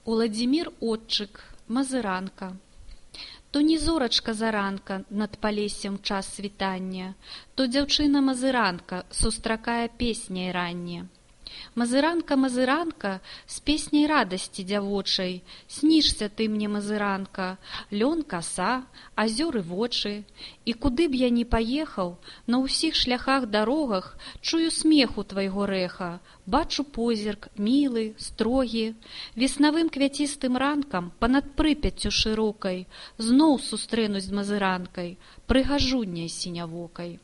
Уладзімір Отчык, Мазыранка. То не зорачка заранка над палессем час світання, то дзяўчына Мазыранка сустракае песняй ранне. Мазыранка, Мазыранка, з песняй радасці дзявочай, снішся ты мне, Мазыранка, лён, каса, азёры вочы. І куды б я ні паехаў, на ўсіх шляхах дарогах чую смеху твайго рэха, бачу позірк, мілы, строгі. Веснавым квяцістым ранкам панад Прыпяццю шырокай зноў сустрэнусь з Мазыранкай, прыгажунняй сінявокай.